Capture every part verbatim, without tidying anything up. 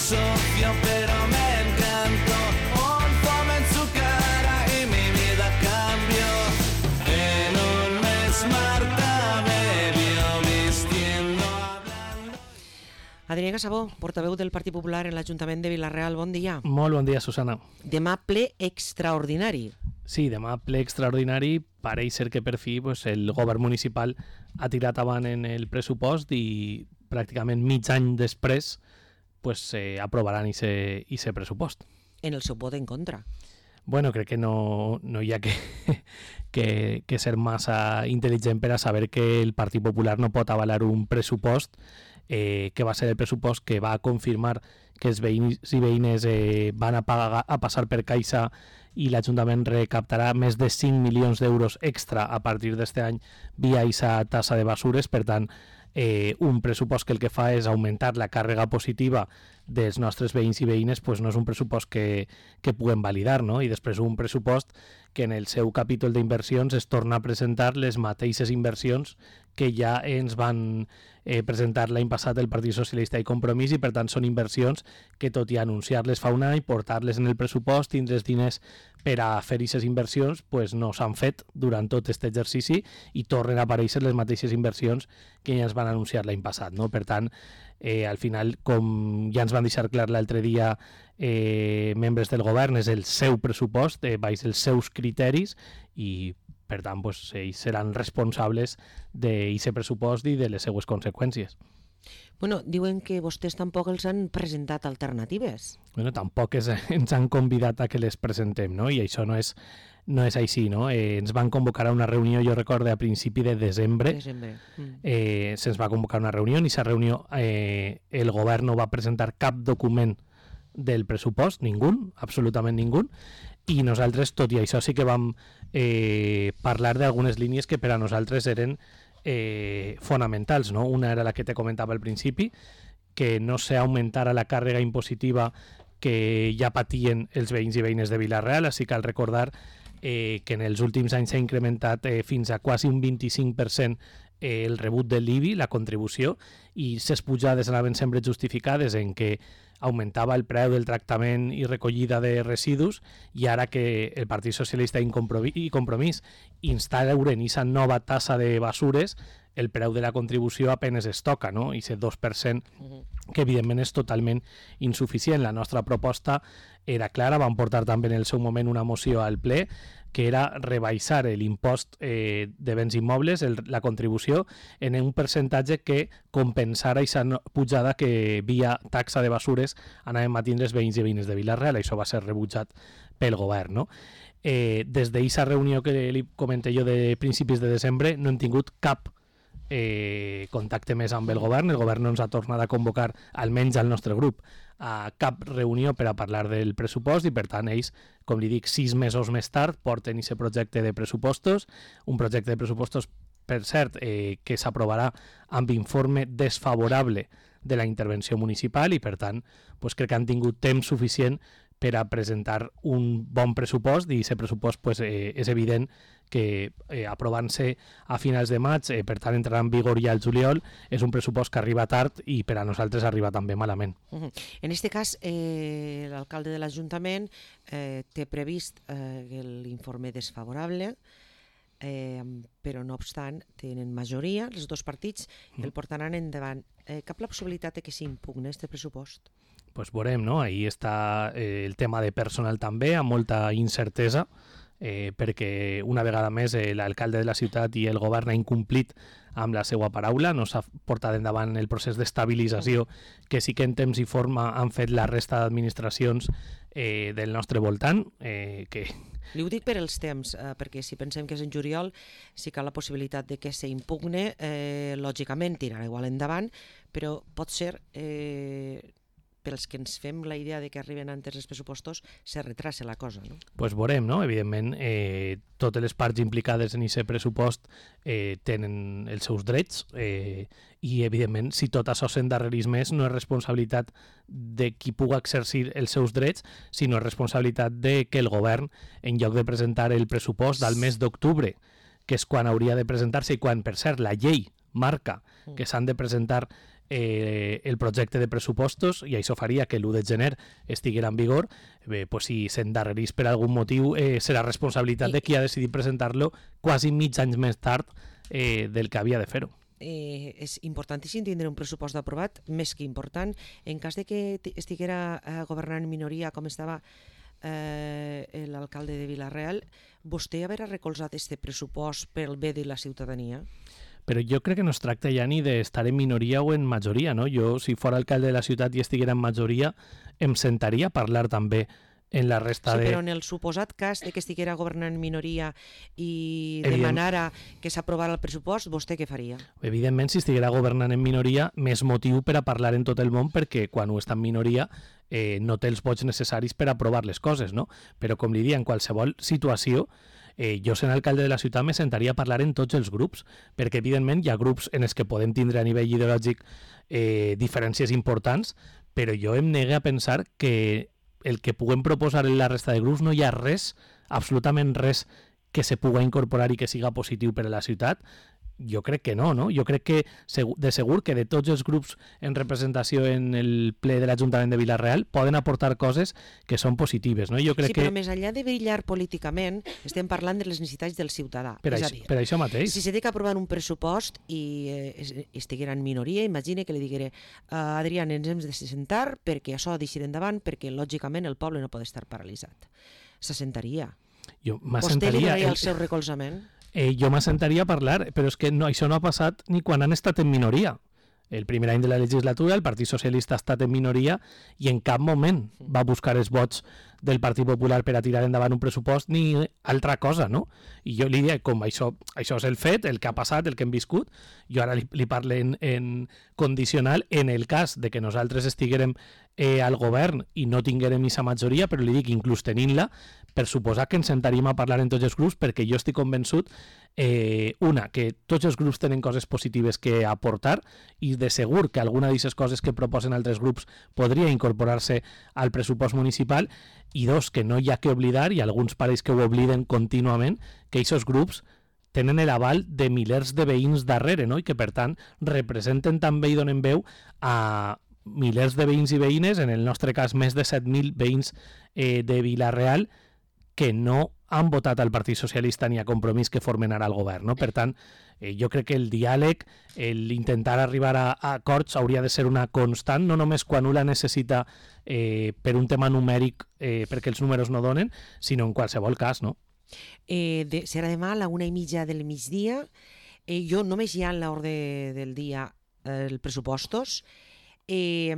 sofio pero me encantó. Un fome en su cara y mi vida cambió. En un mes Marta me vio vistiendo, hablando. Adrià Casabó, portaveu del Partit Popular en l'Ajuntament de Vila-real, bon dia. Molt bon dia, Susana. Demà ple extraordinari. Sí, demà ple extraordinari. Pareix ser que per fi pues, el govern municipal ha tirat avant en el pressupost i pràcticament mig any després pues, eh, aprovaran aquest pressupost. En el seu vot en contra. Bueno, crec que no, no hi ha que, que, que ser massa intel·ligent per a saber que el Partit Popular no pot avalar un pressupost eh, que va ser el pressupost que va confirmar que els veïns i veïnes eh, van a, pagar, a passar per Caixa i l'Ajuntament recaptarà més de cinc milions d'euros extra a partir d'aquest any via aquesta tassa de basures. Per tant, eh, un pressupost que el que fa és augmentar la càrrega positiva dels nostres veïns i veïnes, pues no és un pressupost que, que puguem validar, no? I després un pressupost que en el seu capítol d'inversions es torna a presentar les mateixes inversions que ja ens van eh, presentar l'any passat el Partit Socialista i Compromís, i per tant són inversions que, tot i anunciar-les fa un any, portar-les en el pressupost, tindre els diners per a fer aquestes inversions, pues no s'han fet durant tot aquest exercici i tornen a aparèixer les mateixes inversions que ja ens van anunciar l'any passat, no? Per tant, eh, al final, com ja ens van deixar clar l'altre dia eh, membres del govern, és el seu pressupost, eh, baix els seus criteris, i per tant, pues, ells seran responsables d'aquest pressupost i de les seues conseqüències. Bueno, diuen que vostès tampoc els han presentat alternatives. Bueno, tampoc és, ens han convidat a que les presentem, no? I això no és, no és així, no? Eh, ens van convocar a una reunió, jo recordo, a principi de desembre. Desembre. Mm. Eh, se'ns va convocar a una reunió, i aquesta reunió eh, el govern no va presentar cap document del pressupost, ningú, absolutament ningú, i nosaltres, tot i això, sí que vam eh, parlar d'algunes línies que per a nosaltres eren eh, fonamentals, no? Una era la que te comentava al principi, que no s'augmentara la càrrega impositiva que ja patien els veïns i veïnes de Vila-real. Així cal recordar eh, que en els últims anys s'ha incrementat eh, fins a quasi un vint-i-cinc per cent eh, el rebut de l'I B I, la contribució, i ses pujades anaven sempre justificades en que augmentava el preu del tractament i recollida de residus, i ara que el Partit Socialista i Compromís instauren aquesta nova tassa de basures, el preu de la contribució apenes es toca, no? I aquest dos per cent, que evidentment és totalment insuficient. La nostra proposta era clara, vam portar també en el seu moment una moció al ple, que era rebaixar l'impost eh, de béns immobles, el, la contribució, en un percentatge que compensara aquesta pujada que via taxa de basures anàvem a tindre els veïns i veïnes de Vila-real. Això va ser rebutjat pel govern, no? Eh, des d'aquesta reunió que li comenté jo de principis de desembre no hem tingut cap eh, contacte més amb el govern. El govern no ens ha tornat a convocar, almenys al nostre grup, a cap reunió per a parlar del pressupost, i per tant ells, com li dic, sis mesos més tard porten aquest projecte de pressupostos, un projecte de pressupostos, per cert, eh, que s'aprovarà amb informe desfavorable de la intervenció municipal, i per tant pues, crec que han tingut temps suficient per a presentar un bon pressupost, i aquest pressupost pues, eh, és evident que eh, aprovant-se a finals de maig, eh, per tant entrarà en vigor ja el juliol, és un pressupost que arriba tard i per a nosaltres arriba també malament. Uh-huh. En aquest cas, eh, l'alcalde de l'Ajuntament eh, té previst eh, l'informe desfavorable, eh, però no obstant tenen majoria, els dos partits, i el portaran endavant. Eh, cap la possibilitat de que s'impugni aquest pressupost? Pues veurem, no? Ahí està eh, el tema de personal també, amb molta incertesa, eh, perquè una vegada més eh, l'alcalde de la ciutat i el govern ha incomplit amb la seva paraula, no s'ha portat endavant el procés d'estabilització que sí que en temps i forma han fet la resta d'administracions eh, del nostre voltant. Eh, que... Li ho dic per els temps, eh, perquè si pensem que és en juliol, sí que hi ha la possibilitat de que s'impugne, eh, lògicament tirarà igual endavant, però pot ser... Eh, pels que ens fem la idea de que arriben antes els pressupostos, se retrasa la cosa, no? Pues veurem, no? Evidentment, eh, totes les parts implicades en aquest pressupost eh, tenen els seus drets eh, i, evidentment, si tot això s'endarrerís més, no és responsabilitat de qui puga exercir els seus drets, sinó és responsabilitat de que el govern, en lloc de presentar el pressupost del mes d'octubre, que és quan hauria de presentar-se, i quan, per cert, la llei marca que s'han de presentar eh, el projecte de pressupostos i això faria que l'u de gener estiguera en vigor. Bé, pues si s'endarrerís per algun motiu, eh, serà responsabilitat de qui ha decidit presentar-lo quasi mig anys més tard eh, del que havia de fer-ho. Eh, és importantíssim tindre un pressupost aprovat, més que important. En cas de que estiguera eh, governant en minoria com estava eh, l'alcalde de Vila-real, vostè haurà recolzat aquest pressupost pel bé de la ciutadania? Però jo crec que no es tracta ja ni d'estar en minoria o en majoria, no? Jo, si fos alcalde de la ciutat i estiguera en majoria, em sentaria a parlar també en la resta sí, de... però en el suposat cas de que estiguera governant en minoria i demanara que s'aprovara el pressupost, vostè què faria? Evidentment, si estiguera governant en minoria, més motiu per a parlar en tot el món, perquè quan ho està en minoria eh, no té els vots necessaris per aprovar les coses, no? Però, com li dia, en qualsevol situació, eh, jo sent alcalde de la ciutat me sentaria a parlar en tots els grups, perquè evidentment hi ha grups en els que podem tindre a nivell ideològic eh, diferències importants, però jo em negue a pensar que el que puguem proposar en la resta de grups no hi ha res, absolutament res, que se pugui incorporar i que siga positiu per a la ciutat. Jo crec que no, no? Jo crec que de segur que de tots els grups en representació en el ple de l'Ajuntament de Vila-real poden aportar coses que són positives, no? Jo crec sí, però que... més enllà de brillar políticament, estem parlant de les necessitats del ciutadà. Per, és això, a dir, per això mateix. si se té que aprovar un pressupost i eh, estiguera en minoria, imagine que li diguere uh, Adrián, ens hem de sentar perquè això deixi endavant, perquè lògicament el poble no pot estar paralitzat. Se sentaria. Jo Vostè li donaria el... el seu recolzament? Eh, jo m'assentaria a parlar, però és que no, això no ha passat ni quan han estat en minoria. El primer any de la legislatura el Partit Socialista ha estat en minoria i en cap moment va buscar els vots del Partit Popular per a tirar endavant un pressupost ni altra cosa, no? I jo li diria, com això, això és el fet, el que ha passat, el que hem viscut, jo ara li, li parlo en, en condicional en el cas de que nosaltres estiguérem eh, al govern i no tinguérem aquesta majoria, però li dic, inclús tenint-la, per suposar que ens sentaríem a parlar en tots els grups, perquè jo estic convençut, eh, una, que tots els grups tenen coses positives que aportar i de segur que alguna d'aquestes coses que proposen altres grups podria incorporar-se al pressupost municipal, i dos, que no hi ha que oblidar, i alguns pareix que ho obliden contínuament, que aquests grups tenen l'aval de milers de veïns darrere, no? I que per tant representen també i donen veu a milers de veïns i veïnes, en el nostre cas més de set mil veïns eh, de Vila-real, que no han votat al Partit Socialista ni a Compromís que formen ara el govern, no? Per tant, eh, jo crec que el diàleg, l'intentar arribar a, a acords hauria de ser una constant, no només quan un la necessita eh, per un tema numèric, eh, perquè els números no donen, sinó en qualsevol cas, no? Eh, de, serà demà a la una i mitja del migdia. Eh, jo només hi ha en l'ordre del dia eh, els pressupostos. Eh,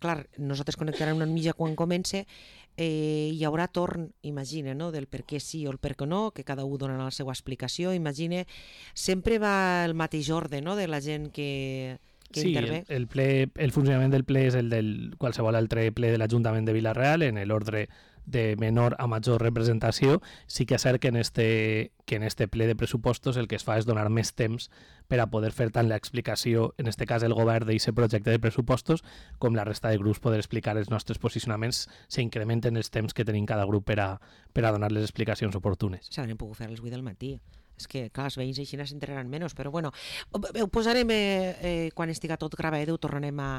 clar, nosaltres connectarem una mitja quan comence. Eh, hi haurà torn, imagina, no? Del per què sí o el per què no, que cada un donarà la seva explicació. Imagina, sempre va el mateix ordre, no?, de la gent que, que sí, intervé. El, el, ple, el funcionament del ple és el del qualsevol altre ple de l'Ajuntament de Vila-real, en l'ordre de menor a major representació. Sí que és cert que en este, que en este ple de pressupostos el que es fa és donar més temps per a poder fer tant l'explicació, en este cas el govern d'aquest projecte de pressupostos, com la resta de grups poder explicar els nostres posicionaments, s'incrementen els temps que tenim cada grup per a, per a donar les explicacions oportunes. S'haurien pogut fer a les vuit del matí. És que, clar, els veïns així s'enteraran menys, però bueno, ho posarem, eh, eh, quan estiga tot gravat, ho tornarem a,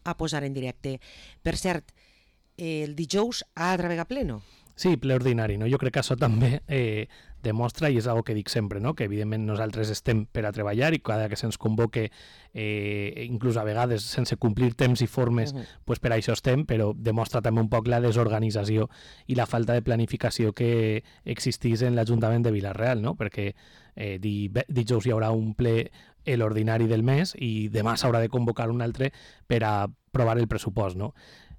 a posar en directe. Per cert, el dijous ha de travegar pleno? Sí, ple ordinari, no? Jo crec que això també eh, demostra, i és una que dic sempre, no? Que evidentment nosaltres estem per a treballar i cada que se'ns convoque, eh, inclús a vegades sense complir temps i formes, uh -huh. pues per això estem, però demostra també un poc la desorganització i la falta de planificació que existís en l'Ajuntament de Vila-real, no? Perquè eh, dijous hi haurà un ple l'ordinari del mes i demà s'haurà de convocar un altre per a aprovar el pressupost, no?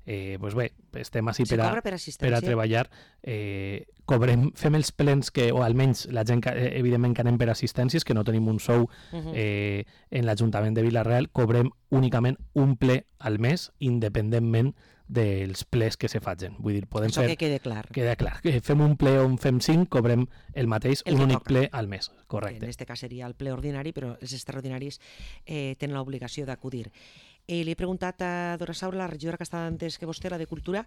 Eh, pues bé, estem així per a, per, per a treballar, eh, cobrem, fem els plens que, o almenys la gent que, eh, evidentment que anem per assistències, que no tenim un sou eh, en l'Ajuntament de Vila-real, cobrem únicament un ple al mes, independentment dels plers que se facin. Vull dir, podem Això fer... que quede clar. Queda clar. Que fem un ple o en fem cinc, cobrem el mateix, el un únic toca. ple al mes. Correcte. En aquest cas seria el ple ordinari, però els extraordinaris eh, tenen l'obligació d'acudir. Eh, li he preguntat a Dora Saura, la regidora que estava antes que vostè, la de Cultura,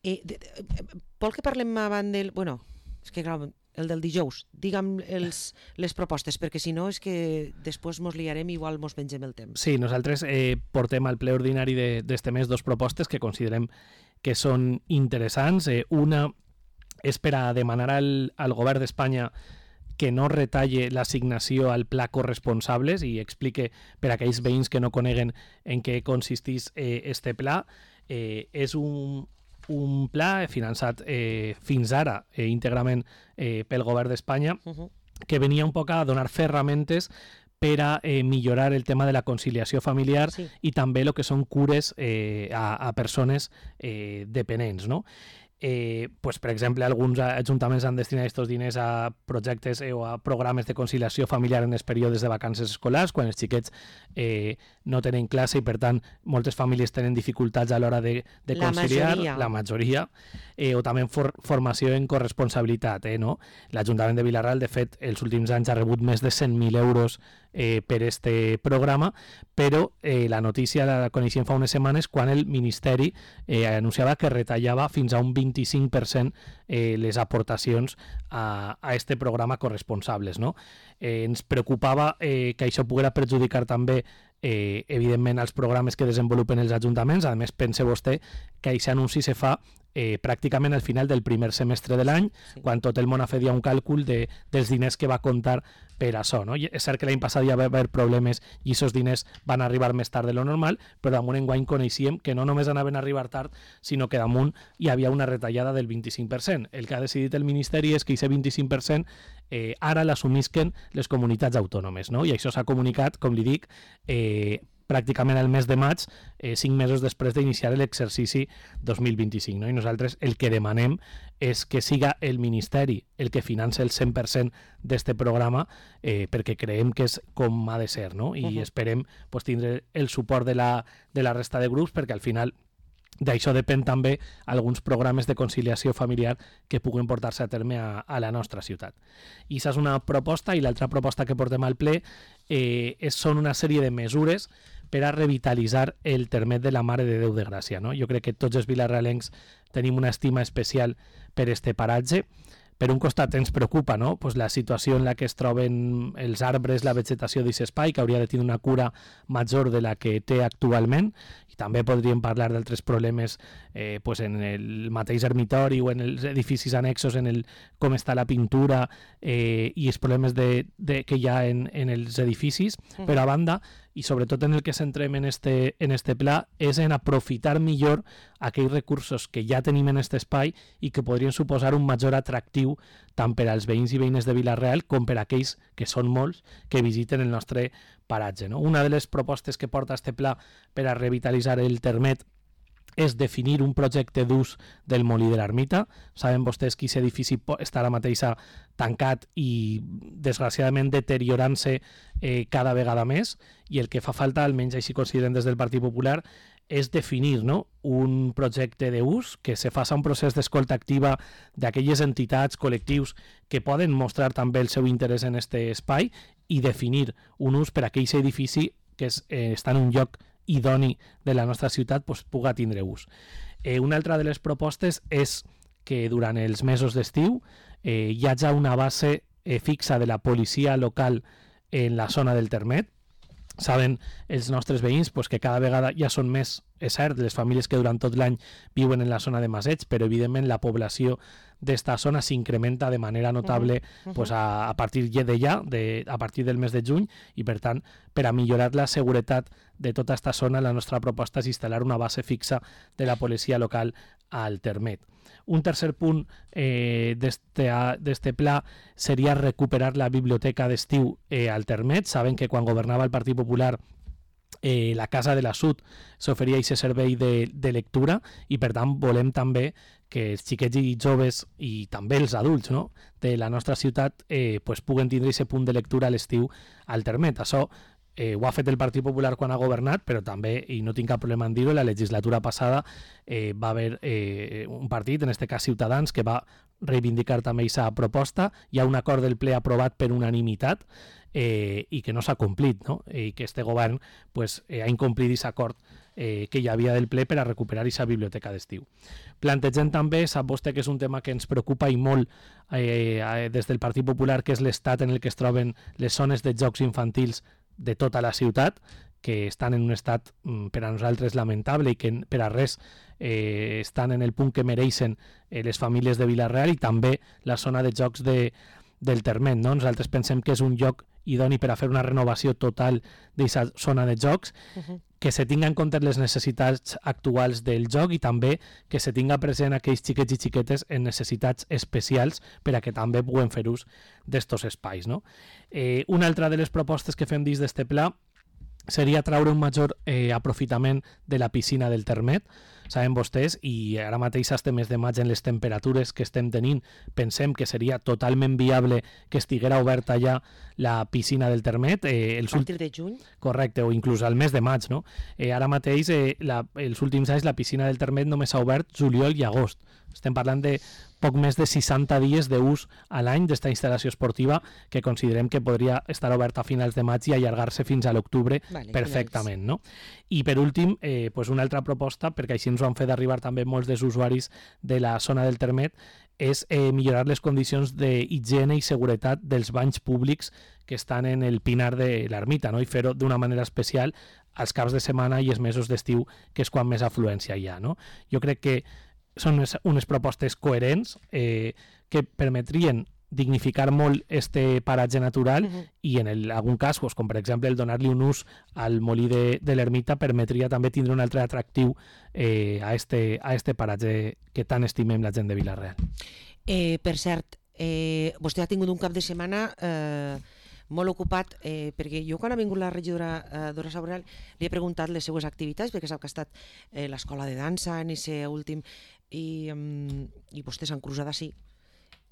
eh, de, de, vol que parlem abans del... Bueno, és que clar, el del dijous. Digue'm els, les propostes, perquè si no és que després mos liarem i igual mos mengem el temps. Sí, nosaltres eh, portem al ple ordinari d'este mes dos propostes que considerem que són interessants. Eh, una és per a demanar al, al govern d'Espanya que no retalle l'assignació al pla corresponsables i explique per a aquells veïns que no coneguen en què consistís eh, este pla. Eh, és un un pla finançat eh, fins ara eh, íntegrament eh, pel govern d'Espanya, uh-huh. que venia un poc a donar ferramentes per a eh, millorar el tema de la conciliació familiar sí. i també el que són cures eh, a, a persones eh, dependents, no? Eh, pues, per exemple, alguns ajuntaments han destinat aquests diners a projectes eh, o a programes de conciliació familiar en els períodes de vacances escolars, quan els xiquets eh, no tenen classe i, per tant, moltes famílies tenen dificultats a l'hora de, de la conciliar. Majoria. La majoria. Eh, o també for, formació en corresponsabilitat. Eh, no? L'Ajuntament de Vila-real, de fet, els últims anys ha rebut més de cent mil euros eh, per este programa, però eh, la notícia la coneixem fa unes setmanes quan el Ministeri eh, anunciava que retallava fins a un vint-i-cinc per cent eh, les aportacions a, a este programa corresponsables. No? Eh, ens preocupava eh, que això poguera perjudicar també eh, evidentment els programes que desenvolupen els ajuntaments. A més, pense vostè que aquest anunci se fa eh, pràcticament al final del primer semestre de l'any, sí. quan tot el món ha fet ja un càlcul de, dels diners que va comptar per això. No? I és cert que l'any passat ja va haver problemes i aquests diners van arribar més tard de lo normal, però damunt enguany coneixíem que no només anaven a arribar tard, sinó que damunt hi havia una retallada del vint-i-cinc per cent. El que ha decidit el Ministeri és que aquest vint-i-cinc per cent eh, ara l'assumisquen les comunitats autònomes, no? I això s'ha comunicat, com li dic, eh, pràcticament al mes de maig, eh, cinc mesos després d'iniciar l'exercici dos mil vint-i-cinc. No? I nosaltres el que demanem és que siga el Ministeri el que finança el cent per cent d'este programa, eh, perquè creiem que és com ha de ser, no? I uh-huh. esperem pues, tindre el suport de la, de la resta de grups, perquè al final d'això depèn també alguns programes de conciliació familiar que puguen portar-se a terme a, a la nostra ciutat. I això és una proposta, i l'altra proposta que portem al ple eh, és, són una sèrie de mesures per a revitalitzar el termet de la Mare de Déu de Gràcia. No? Jo crec que tots els vilarealencs tenim una estima especial per este paratge. Per un costat ens preocupa, no? Pues la situació en la que es troben els arbres, la vegetació d'aquest espai, que hauria de tenir una cura major de la que té actualment, i també podríem parlar d'altres problemes eh, pues en el mateix ermitori o en els edificis annexos, en el com està la pintura eh, i els problemes de, de, que hi ha en, en els edificis, uh-huh. però a banda, i sobretot en el que centrem en este, en este pla, és en aprofitar millor aquells recursos que ja tenim en aquest espai i que podrien suposar un major atractiu tant per als veïns i veïnes de Vila-real com per a aquells, que són molts, que visiten el nostre paratge. No? Una de les propostes que porta este pla per a revitalitzar el termet és definir un projecte d'ús del molí de l'Ermita. Saben vostès que aquest edifici està ara mateix tancat i desgraciadament deteriorant-se eh, cada vegada més, i el que fa falta, almenys així consideren des del Partit Popular, és definir no? un projecte d'ús, que se faça un procés d'escolta activa d'aquelles entitats, col·lectius que poden mostrar també el seu interès en aquest espai, i definir un ús per a aquell edifici que és, eh, està en un lloc idoni de la nostra ciutat, pues, puga tindre ús. Eh, una altra de les propostes és que durant els mesos d'estiu eh, hi hagi una base eh, fixa de la policia local en la zona del termet. Saben els nostres veïns pues, que cada vegada ja són més, és cert, les famílies que durant tot l'any viuen en la zona de Maseig, però evidentment la població d'esta zona s'incrementa de manera notable uh-huh. pues, a, a partir de ja, de, a partir del mes de juny, i per tant, per a millorar la seguretat de tota aquesta zona, la nostra proposta és instal·lar una base fixa de la policia local al termet. Un tercer punt eh, d'este pla seria recuperar la biblioteca d'estiu eh, al termet. Saben que quan governava el Partit Popular eh, la Casa de la Sud s'oferia aquest servei de, de lectura, i per tant volem també que els xiquets i joves i també els adults no? de la nostra ciutat eh, pues, puguen tindre aquest punt de lectura a l'estiu al termet. Això Eh, ho ha fet el Partit Popular quan ha governat, però també, i no tinc cap problema en dir-ho, la legislatura passada eh, va haver eh, un partit, en aquest cas Ciutadans, que va reivindicar també aquesta proposta. Hi ha un acord del ple aprovat per unanimitat eh, i que no s'ha complit, no? I que este govern pues, eh, ha incomplit aquest acord eh, que hi havia del ple per a recuperar aquesta biblioteca d'estiu. Plantegem també, sap vostè que és un tema que ens preocupa i molt eh, des del Partit Popular, que és l'estat en el que es troben les zones de jocs infantils de tota la ciutat, que estan en un estat per a nosaltres lamentable i que per a res eh, estan en el punt que mereixen eh, les famílies de Vila-real, i també la zona de jocs de, del Termet. No? Nosaltres pensem que és un lloc idoni per a fer una renovació total d'aquesta zona de jocs, uh-huh. que se tinga en compte les necessitats actuals del joc i també que se tinga present aquells xiquets i xiquetes en necessitats especials per a que també puguen fer ús d'estos espais. No? Eh, una altra de les propostes que fem dins d'este pla seria traure un major eh, aprofitament de la piscina del Termet. Saben vostès, i ara mateix este mes de maig en les temperatures que estem tenint, pensem que seria totalment viable que estiguera oberta ja la piscina del Termet. Eh, els a partir de juny? Correcte, o inclús al mes de maig. No? Eh, ara mateix, eh, la, els últims anys, la piscina del Termet només s'ha obert juliol i agost. Estem parlant de poc més de seixanta dies d'ús a l'any d'esta instal·lació esportiva, que considerem que podria estar oberta a finals de maig i allargar-se fins a l'octubre vale, perfectament. No? I per últim, eh, pues una altra proposta, perquè així ens ho han fet arribar també molts dels usuaris de la zona del Termet, és eh, millorar les condicions d'higiene i seguretat dels banys públics que estan en el Pinar de l'Ermita, no? I fer-ho d'una manera especial als caps de setmana i els mesos d'estiu, que és quan més afluència hi ha. No? Jo crec que són unes, unes propostes coherents eh, que permetrien dignificar molt este paratge natural uh-huh. i en el, algun cas, pues, com per exemple el donar-li un ús al molí de, de l'Ermita, permetria també tindre un altre atractiu eh, a, este, a este paratge que tant estimem la gent de Vila-real. Eh, per cert, eh, vostè ha tingut un cap de setmana eh, molt ocupat, eh, perquè jo quan ha vingut la regidora eh, Dora Saboral li he preguntat les seues activitats, perquè sap que ha estat eh, l'escola de dansa en ese últim, i, um, i vostè s'han cruzat així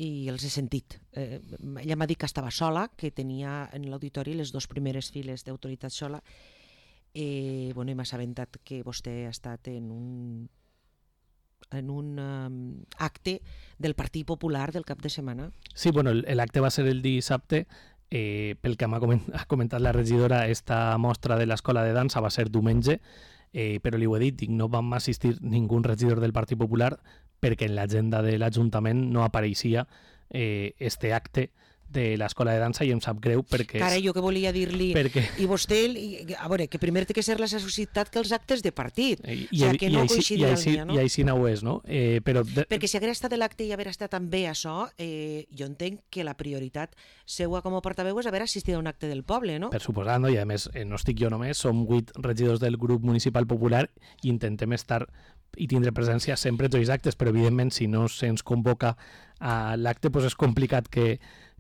i els he sentit. Eh, ella m'ha dit que estava sola, que tenia en l'auditori les dues primeres files d'autoritat sola, eh, bueno, i m'ha assabentat que vostè ha estat en un en un um, acte del Partit Popular del cap de setmana. Sí, bueno, l'acte va ser el dissabte. Eh, pel que m'ha comentat la regidora, esta mostra de l'escola de dansa va ser diumenge, eh, però li ho he dit, dic, no vam assistir ningú regidor del Partit Popular perquè en l'agenda de l'Ajuntament no apareixia eh, este acte de l'escola de dansa, i em sap greu perquè... Cara, jo que volia dir-li... Perquè... I vostè, a veure, que primer té que ser la societat que els actes de partit. I, o sigui, que no coincidirà el dia, no? I així no ho és, no? Eh, però de... Perquè si hagués estat l'acte i haver estat també això, eh, jo entenc que la prioritat seua com a portaveu és haver assistit a un acte del poble, no? Per suposat, no? I a més, eh, no estic jo només, som vuit regidors del grup municipal popular i intentem estar i tindre presència sempre en tots els actes, però evidentment si no se'ns convoca a l'acte, doncs és complicat que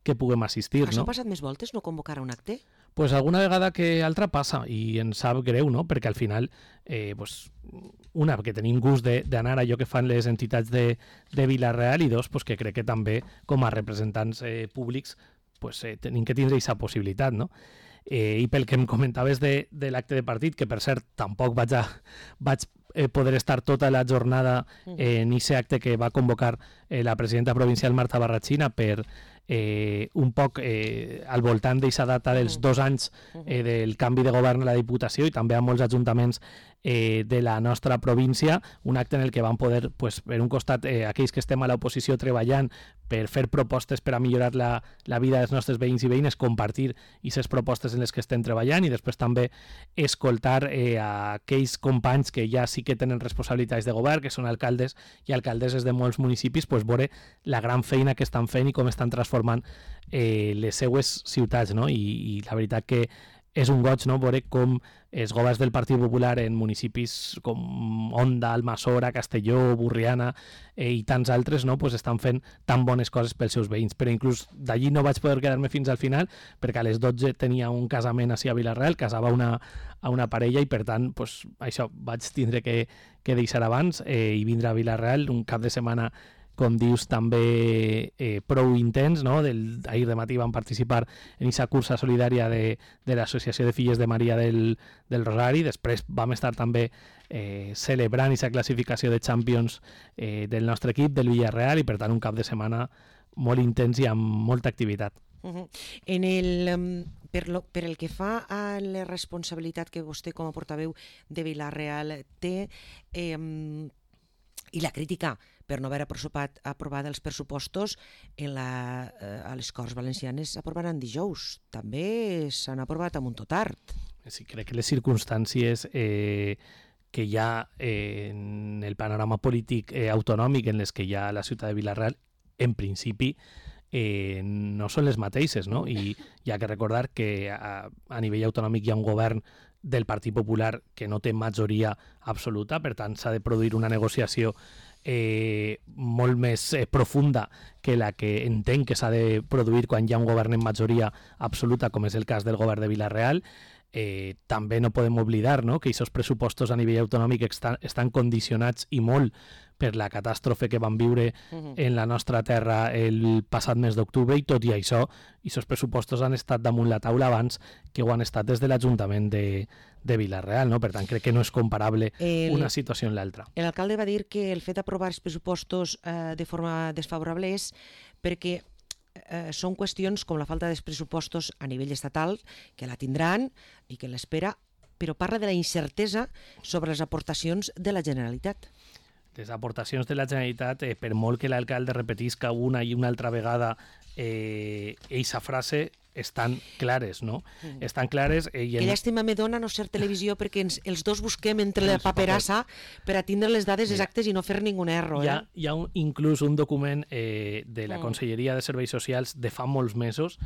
que puguem assistir. Això no? ha passat més voltes, no convocar a un acte? Pues alguna vegada que altra passa, i ens sap greu, no? Perquè al final, eh, pues, una, que tenim gust d'anar a allò que fan les entitats de, de Vila-real, i dos, pues, que crec que també com a representants eh, públics pues, eh, tenim que tindre aquesta possibilitat, no? Eh, I pel que em comentaves de, de l'acte de partit, que per cert tampoc vaig, a, vaig eh, poder estar tota la jornada eh, en aquest acte que va convocar eh, la presidenta provincial Marta Barratxina per eh, un poc eh, al voltant d'aquesta data dels dos anys eh, del canvi de govern a la Diputació i també a molts ajuntaments eh, de la nostra província, un acte en el que van poder, pues, per un costat, eh, aquells que estem a l'oposició treballant per fer propostes per a millorar la, la vida dels nostres veïns i veïnes, compartir aquestes propostes en les que estem treballant, i després també escoltar eh, a aquells companys que ja sí que tenen responsabilitats de govern, que són alcaldes i alcaldesses de molts municipis, pues, veure la gran feina que estan fent i com estan transformant eh, les seues ciutats, no? I, i la veritat que és un goig, no?, veure com els governs del Partit Popular en municipis com Onda, Almassora, Castelló, Burriana eh, i tants altres, no?, pues estan fent tan bones coses pels seus veïns. Però inclús d'allí no vaig poder quedar-me fins al final, perquè a les dotze tenia un casament així a Vila-real, casava una, a una parella, i per tant, pues, això vaig tindre que, que deixar abans eh, i vindre a Vila-real un cap de setmana, com dius, també eh, prou intens, no? Del, ahir de matí vam participar en aquesta cursa solidària de, de l'Associació de Filles de Maria del, del Rosari. Després vam estar també eh, celebrant aquesta classificació de Champions eh, del nostre equip, del Villarreal, i per tant un cap de setmana molt intens i amb molta activitat. Uh-huh. En el, um, per, lo, per el que fa a la responsabilitat que vostè com a portaveu de Vila-real té eh, i la crítica per no haver aprovat, aprovat els pressupostos en la, eh, a les Corts Valencianes s'aprovaran dijous. També s'han aprovat amb un tot tard. Sí, crec que les circumstàncies eh, que hi ha eh, en el panorama polític eh, autonòmic en les que hi ha a la ciutat de Vila-real, en principi, eh, no són les mateixes, no? I hi ha que recordar que a, a nivell autonòmic hi ha un govern del Partit Popular que no té majoria absoluta, per tant s'ha de produir una negociació eh, molt més eh, profunda que la que entenc que s'ha de produir quan hi ha un govern en majoria absoluta, com és el cas del govern de Vila-real. Eh, també no podem oblidar, no?, que aquests pressupostos a nivell autonòmic estan, estan condicionats i molt per la catàstrofe que van viure uh-huh. en la nostra terra el passat mes d'octubre, i tot i això, aquests pressupostos han estat damunt la taula abans que ho han estat des de l'Ajuntament de, de Vila-real, no? Per tant, crec que no és comparable el, una situació amb l'altra. L'alcalde va dir que el fet d'aprovar els pressupostos eh, de forma desfavorable és perquè Eh, són qüestions com la falta dels pressupostos a nivell estatal, que la tindran i que l'espera, però parla de la incertesa sobre les aportacions de la Generalitat. Les aportacions de la Generalitat, eh, per molt que l'alcalde repetisca una i una altra vegada eh, eixa frase, estan clares, no? Mm. Estan clares... Eh, que en... llàstima me dona no ser televisió perquè ens, els dos busquem entre la paperassa per a tindre les dades exactes i no fer ningun error. Hi ha, eh? hi ha un, inclús un document eh, de la mm. Conselleria de Serveis Socials de fa molts mesos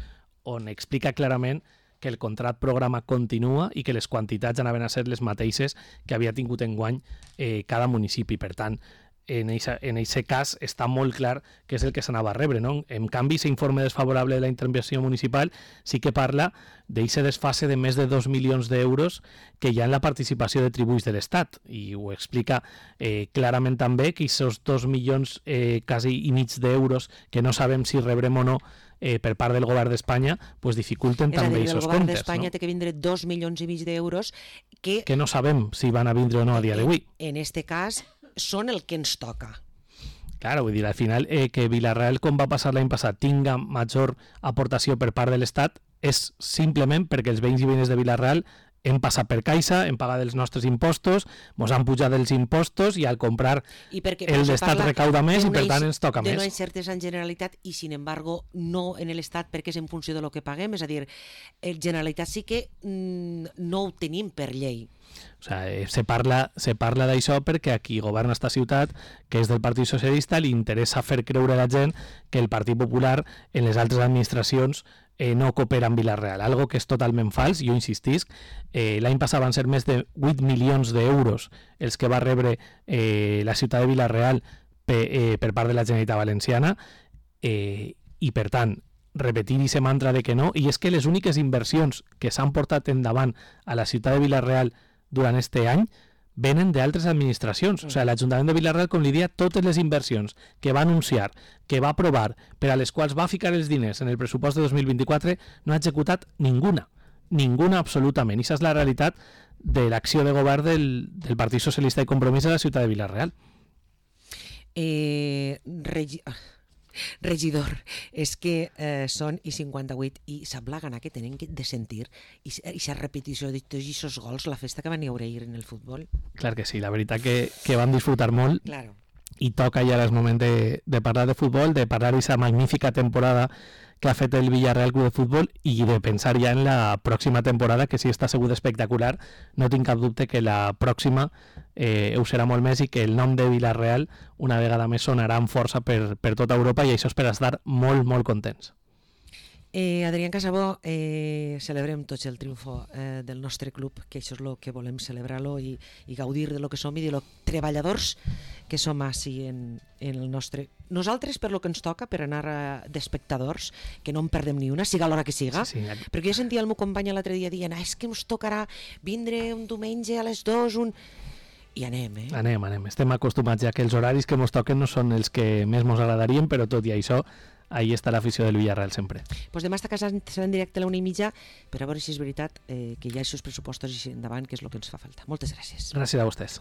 on explica clarament que el contrat programa continua i que les quantitats anaven a ser les mateixes que havia tingut enguany eh, cada municipi. Per tant, en aquest cas està molt clar que és el que s'anava a rebre, no? En canvi, l'informe desfavorable de la intervenció municipal sí que parla d'aquest desfase de més de dos milions d'euros que hi ha en la participació de tributs de l'Estat, i ho explica eh, clarament també que aquests dos milions eh, quasi i mig d'euros que no sabem si rebrem o no eh, per part del govern d'Espanya, pues dificulten també aquests comptes. El govern d'Espanya no? té que vindre dos milions i mig d'euros que... que no sabem si van a vindre o no a dia d'avui. En este cas són el que ens toca. Claro, vull dir, al final eh, que Vila-real, com va passar l'any passat, tinga major aportació per part de l'Estat és simplement perquè els veïns i veïnes de Vila-real hem passat per caixa, hem pagat els nostres impostos, ens han pujat els impostos i al comprar I perquè, el d'Estat recauda més i per tant ens toca de més. De no incertesa en Generalitat i sin embargo no en l'Estat perquè és en funció de lo que paguem, és a dir, el Generalitat sí que mm, no ho tenim per llei. O sigui, se parla, se parla d'això perquè aquí governa esta ciutat, que és del Partit Socialista, li interessa fer creure a la gent que el Partit Popular en les altres administracions eh, no coopera amb Vila-real, algo que és totalment fals. Jo insistisc, eh, l'any passat van ser més de vuit milions d'euros els que va rebre eh, la ciutat de Vila-real per, eh, per part de la Generalitat Valenciana, eh, i per tant repetir aquest mantra de que no, i és que les úniques inversions que s'han portat endavant a la ciutat de Vila-real durant este any venen d'altres administracions. O sigui, l'Ajuntament de Vila-real, com li dia, totes les inversions que va anunciar, que va aprovar, per a les quals va ficar els diners en el pressupost de dos mil vint-i-quatre, no ha executat ninguna. Ninguna absolutament. I aquesta és la realitat de l'acció de govern del, del Partit Socialista i Compromís a la ciutat de Vila-real. Eh... Regi... Regidor, és que eh, són i cinquanta-vuit i sap la gana que tenen de sentir i aquesta repetició de tots aquests gols, la festa que van haure ahir en el futbol. Clar que sí, la veritat que, que van disfrutar molt. Claro. I toca ja el moment de, de parlar de futbol, de parlar d'aquesta magnífica temporada que ha fet el Villarreal Club de Futbol i de pensar ja en la pròxima temporada, que sí està segur espectacular. No tinc cap dubte que la pròxima eh, ho serà molt més i que el nom de Villarreal una vegada més sonarà amb força per, per tota Europa, i això és per estar molt, molt contents. Eh, Adrián Casabó, eh, celebrem tots el triomfo eh, del nostre club, que això és el que volem, celebrar-lo i, i gaudir de lo que som i de lo treballadors que som així en, en el nostre... Nosaltres, per lo que ens toca, per anar d'espectadors, que no en perdem ni una, siga l'hora que siga, sí, sí. Perquè jo sentia el meu company l'altre dia dient, ah, és que ens tocarà vindre un diumenge a les dues, un... I anem, eh? Anem, anem. Estem acostumats ja que els horaris que ens toquen no són els que més ens agradarien, però tot i això, ahí està l'afició del Villarreal sempre. Pues demà està casant, serà en directe a la una i mitja, per a veure si és veritat eh, que hi ha aquests pressupostos endavant, que és el que ens fa falta. Moltes gràcies. Gràcies a vostès.